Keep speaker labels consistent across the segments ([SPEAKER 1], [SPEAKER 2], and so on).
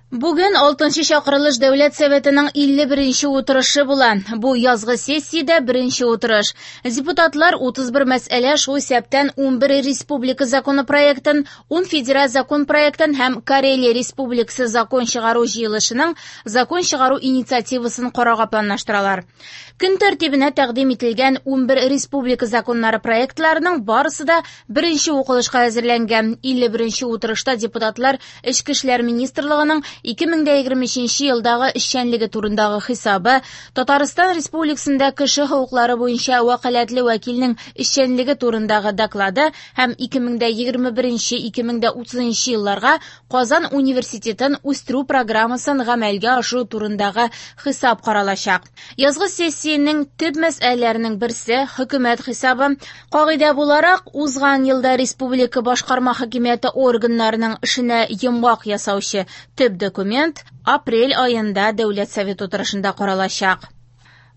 [SPEAKER 1] Бүген 6нчы чакырылыш Дәүләт Советының 51нче утырышы була. Бу язгы сессиядә беренче утырыш. Депутатлар 31 мәсьәлә, шул исәптән 11 республика законопроектын, 10 федераль закон проектын һәм Карелия Республикасы закон чыгару җыелышының закон чыгару инициативасын карарга планлаштыралар. Көн тәртибенә тәкъдим ителгән 11 республика законнары проектларының барысы да беренче укылышка әзерләнгән. 51нче утырышта депутатлар Эчке эшләр министрлыгының 2023 елдагы эшчәнлеге турындагы хисабы, Татарстан Республикасында кеше хокуклары буенча вәкаләтле вәкилнең эшчәнлеге турындагы доклады һәм 2021-2030 елларга Казан университетын үстерү программасын гамәлгә ашыру турындагы хисап каралачак. Язгы сессиянең төп мәсьәләләренең берсе хөкүмәт хисабы. Кагыйдә буларак, узган елда республика башкарма хакимияте органнарының эшенә йомгак ясаучы төп документ апрель аенда Дәүләт Советы утырышында каралачак.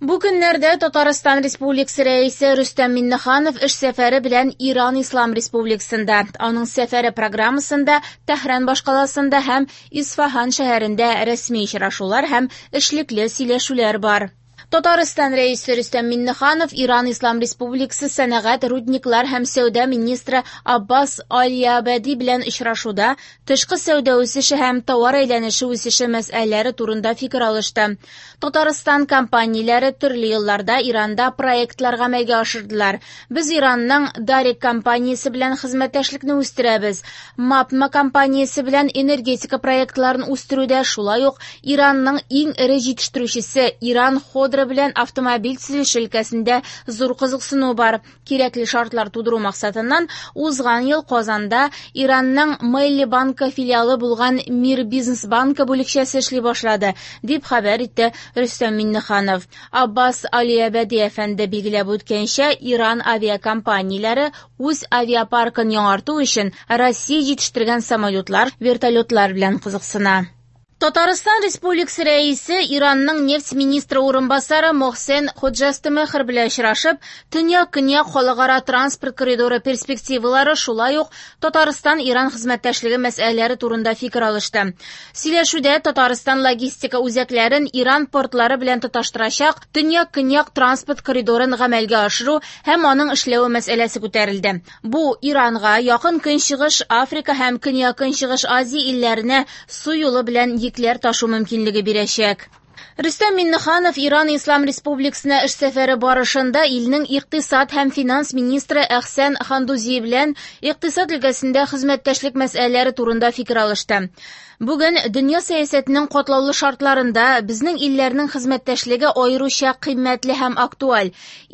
[SPEAKER 1] Бу көннәрдә Татарстан Республикасы Рәисе Рөстәм Миңнеханов эш сәфәре белән Иран Ислам Республикасында. Аның сәфәре программасында Тәһран башкаласында һәм Исфаһан шәһәрендә рәсми очрашулар һәм эшлекле сөйләшүләр бар. Татарстан Рәисе Рөстәм Миңнеханов Иран Ислам Республикасы сәнәгать, рудниклар һәм сәүдә министры Аббас Алиабади белән очрашуда тышкы сәүдә үсеше һәм товар әйләнеше үсеше мәсьәләләре турында фикер алышты. Татарстан компанияләре төрле елларда Иранда проектлар гамәлгә ашырдылар. Без Иранның Дарик компаниясе белән хезмәттәшлекне үстерәбез. МАПМА компаниясе белән энергетика проектларын үстерүдә шулай ук Иранның иң эре җитештерүчесе Иран Ходро белән автомобиль төзелеше өлкәсендә зур кызыксыну бар. Кирәкле шартлар тудыру максатыннан узган ел Казанда Иранның Мелли банкы филиалы булган Мир бизнес банкы бүлекчәсе эшли башлады, дип хәбәр итте Рөстәм Миңнеханов. Аббас Алиабади әфәнде билгеләп үткәнчә, Иран авиакомпанияләре үз авиапаркын яңарту өчен Россия җитештергән самолетлар, вертолетлар белән кызыксына. Татарстан Республикасы Рәисе Иранның нефть министры урынбасары Мохсен Ходжастемехр белән очрашып, Төньяк-Көньяк халыкара транспорт коридоры перспективалары, шулай ук Татарстан-Иран хезмәттәшлеге мәсьәләләре турында фикер алышты. Сөйләшүдә Татарстан логистика үзәкләрен Иран портлары белән тоташтырачак Төньяк-Көньяк транспорт коридорын гамәлгә ашыру һәм аның эшләве мәсьәләсе күтәрелде. Бу Иранга, Якын Көнчыгыш, Африка һәм Көньяк-Көнчыгыш Азия илләренә су юлы белән йөкләр ташу мөмкинлеге бирәчәк. Рөстәм Миңнеханов Иран Ислам Республикасына эш сәфәре барышында илнең икътисад һәм финанс министры Әхсән Хандузи белән икътисад өлкәсендә хезмәттәшлек мәсьәләләре турында фикер алышты. Бүген дөнья сәясәтенең катлаулы шартларында безнең илләрнең хезмәттәшлеге аеруча кыйммәтле һәм актуаль.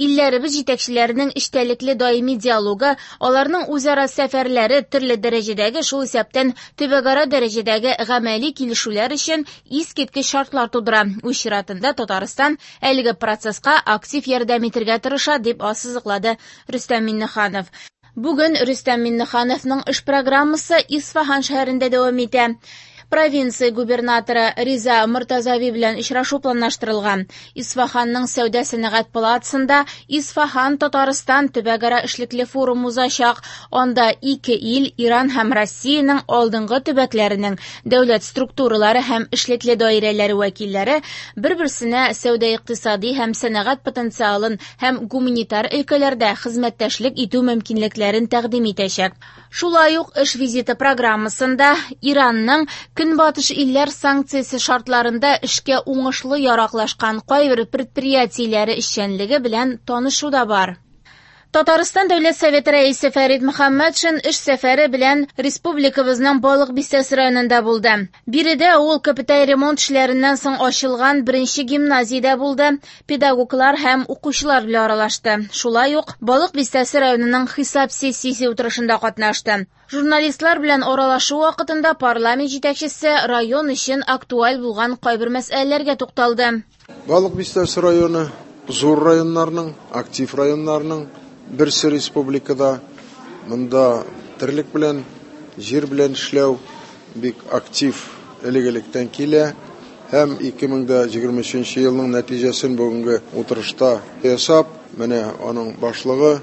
[SPEAKER 1] Илләребез җитәкчеләренең эчтәлекле даими диалогы, аларның үзара сәфәрләре төрле дәрәҗәдәге, шул исәптән төбәкара дәрәҗәдәге гамәли килешүләр өчен искиткеч шартлар тудыра. Үз чиратында Татарстан әлеге процесска актив ярдәм итергә тырыша, дип ассызыклады Рөстәм Миңнеханов. Бүген Рөстәм Миңнехановның эш программасы Исфаһан шәһәрендә дәвам итә. Провинция губернаторы Риза Мортазави белән очрашу планлаштырылган. Исфаһанның сәүдә-сәнәгать палатасында Исфаһан Татарстан төбәкара эшлекле форум узачак. Анда ике ил, Иран һәм Россиянең алдынгы төбәкләренең дәүләт структуралары һәм эшлекле даирәләре вәкилләре бер-берсенә сәүдә-икътисади һәм сәнәгать потенциалын һәм гуманитар өлкәләрдә хезмәттәшлек итү мөмкинлекләрен тәкъдим итәчәк. Шулай ук эш визиты программасында Иранның Көнбатыш илләр санкциясе шартларында эшкә уңышлы яраклашкан кайбер предприятиеләре эшчәнлеге белән танышу да бар. Татарстан Дәүләт Советы Рәисе Фәрит Мөхәммәтшин эш сәфәре белән республикабызның Балык Бистәсе районында булды. Биредә ул капиталь ремонт эшләреннән соң ачылган беренче гимназиядә булды, педагоглар һәм укучылар белән аралашты. Шулай ук Балык Бистәсе районының хисап сессиясе утырышында катнашты. Журналистлар белән аралашу вакытында парламент җитәкчесе район өчен актуаль булган кайбер мәсьәләләргә тукталды.
[SPEAKER 2] Балык Бистәсе районы зур районнарның, актив районнарның берсе республикада. Монда терлек белән, җир белән эшләү бик актив элек-электән килә. Һәм 2023 елның нәтиҗәсен бүгенге утырышта ясап, менә аның башлыгы,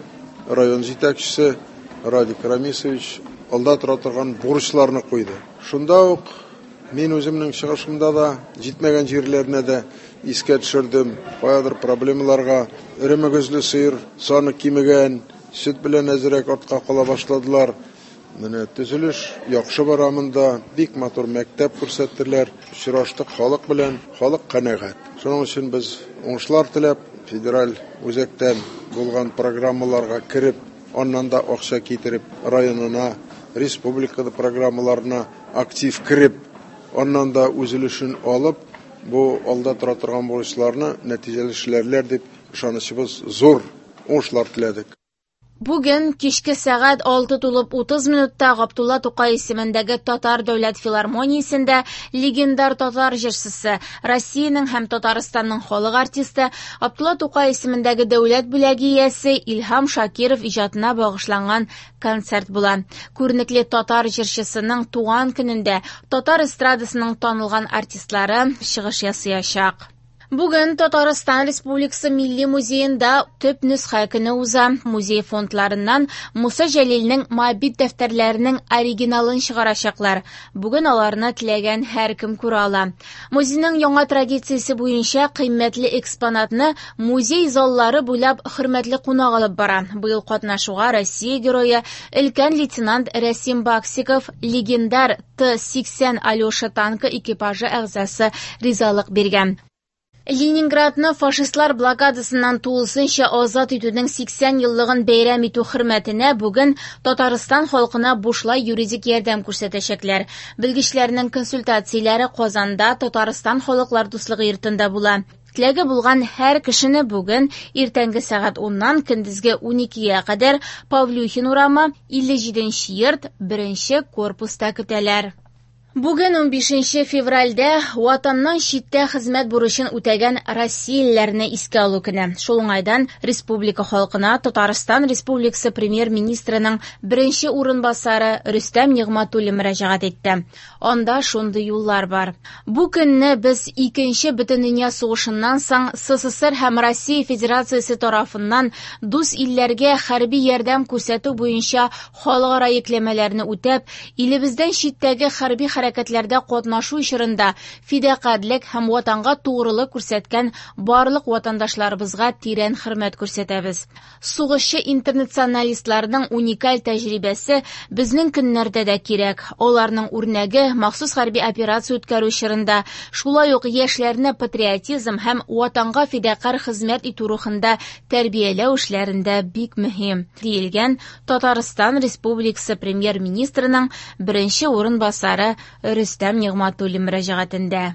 [SPEAKER 2] район җитәкчесе Радик Рамисович алда тора торган бурычларны куйды. Шунда ук Мин үземнең чыгышымда да җитмәгән җирләрне дә искә төшердем. Каядыр проблемаларга эре мөгезле сыер саны кимегән, сөт белән әзрәк артка кала башладылар. Менә төзелеш яхшы бара монда, бик матур мәктәп күрсәттеләр. Очраштык халык белән, халык канәгать. Шуның өчен без уңышлар теләп, федераль үзәктән булган программаларга кереп, аннан да акча китереп, районына, республикада программаларына актив кереп, аннан да үз өлешен алып, бу алда тора торган бурычларны нәтиҗәле эшләрләр дип ышанычыбыз зур. Уңышлар теләдек.
[SPEAKER 1] Бүген кичке сәгать 6:30 минутта Габдулла Тукай исемендәге Татар дәүләт филармониясендә легендар татар җырчысы, Россиянең һәм Татарстанның халык артисты, Габдулла Тукай исемендәге дәүләт бүләге иясе Илһам Шакиров иҗатына багышланган концерт була. Күренекле татар җырчысының туган көнендә татар эстрадасының танылган артистлары чыгыш ясаячак. Бүген Татарстан Республикасы Милли музеенда төп нөсхә көне уза. Музей фондларыннан Муса Җәлилнең Моабит дәфтәрләренең оригиналын чыгарачаклар. Бүген аларны теләгән һәркем күрә ала. Музейның яңа традициясе буенча кыйммәтле экспонатны музей заллары буйлап хөрмәтле кунак алып бара. Быел катнашуга Россия герое өлкән лейтенант Рәсим Баксиков, легендар Т-80 Алеша танкы экипажы әгъзасы ризалык биргән. Ленинградны фашистлар блокадасыннан тулысынча азат итүнең 80 еллыгын бәйрәм итү хөрмәтенә бүген Татарстан халкына бушлай юридик ярдәм күрсәтәчәкләр. Белгечләрнең консультацияләре Казанда Татарстан халыклар дуслыгы йортында була. Теләге булган һәр кешене бүген иртәнге сәгать 10-нан көндезге 12-гә кадәр Павлюхин урамы 57 йорт 1 корпуста көтәләр. Бүген 15 февральдә Ватаннан читтә хезмәт бурычын үтәгән россиялеләрне искә алу көне. Шул уңайдан республика халкына Татарстан Республикасы премьер-министрының беренче урынбасары Рөстәм Нигъмәтуллин мөрәҗәгать итте. Анда шундый юллар бар. Бу көнне без Икенче бөтендөнья сугышыннан соң СССР һәм Россия Федерациясе тарафыннан дус илләргә хәрби ярдәм күрсәтү буенча халыкара йөкләмәләрне үтәп, илебездән читтәге хәрби хәрәкәтләрдә катнашу чорында фидакарьлек һәм ватанга тугрылык күрсәткән барлык ватандашларыбызга тирән хөрмәт күрсәтәбез. Сугышчы интернационалистларның уникаль тәҗрибәсе безнең көннәрдә дә кирәк. Аларның үрнәге махсус хәрби операция үткәрү чорында, шулай ук яшьләрне патриотизм һәм ватанга фидакарь хезмәт итү рухында тәрбияләү эшләрендә бик мөһим, диелгән Татарстан Республикасы премьер-министрының беренче урынбасары Рөстәм Нигъмәтуллин мөрәҗәгатендә.